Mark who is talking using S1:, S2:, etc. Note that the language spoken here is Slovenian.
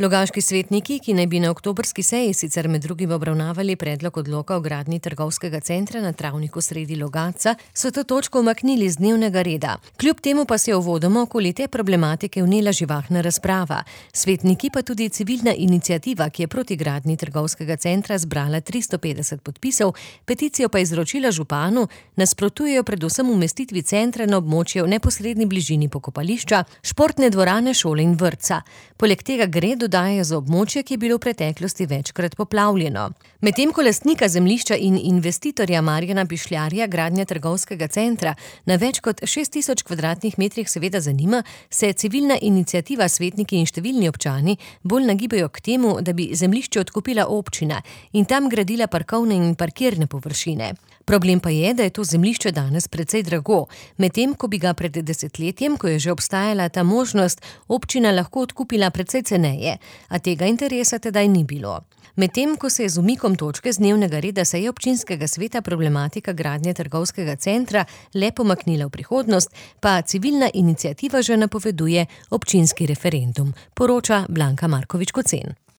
S1: Logaški svetniki, ki naj bi na oktobrski seji sicer med drugim obravnavali predlog odloka o gradnji trgovskega centra na travniku sredi Logatca, so to točko umaknili z dnevnega reda. Kljub temu pa se je uvodoma okoli te problematike vnela živahna razprava. Svetniki pa tudi civilna iniciativa, ki je proti gradnji trgovskega centra zbrala 350 podpisov, peticijo pa izročila županu, nasprotujejo predvsem umestitvi centra na območje v neposredni bližini pokopališča, športne dvorane, šole in vrtca. Poleg tega gre, dodaja, za območje, ki je bilo v preteklosti večkrat poplavljeno. Medtem ko lastnika zemljišča in investitorja Marjana Pišljarja gradnja trgovskega centra na več kot 6000 kvadratnih metrih seveda zanima, se civilna iniciativa, svetniki in številni občani bolj nagibajo k temu, da bi zemljišče odkupila občina in tam gradila parkovne in parkirne površine. Problem pa je, da je to zemljišče danes precej drago, medtem ko bi ga pred desetletjem, ko je že obstajala ta možnost, občina lahko odkupila precej ceneje, a tega interesa tedaj ni bilo. Medtem ko se je z umikom točke z dnevnega reda seje občinskega sveta problematika gradnje trgovskega centra le pomaknila v prihodnost, pa civilna iniciativa že napoveduje občinski referendum, poroča Blanka Markovič Kocen.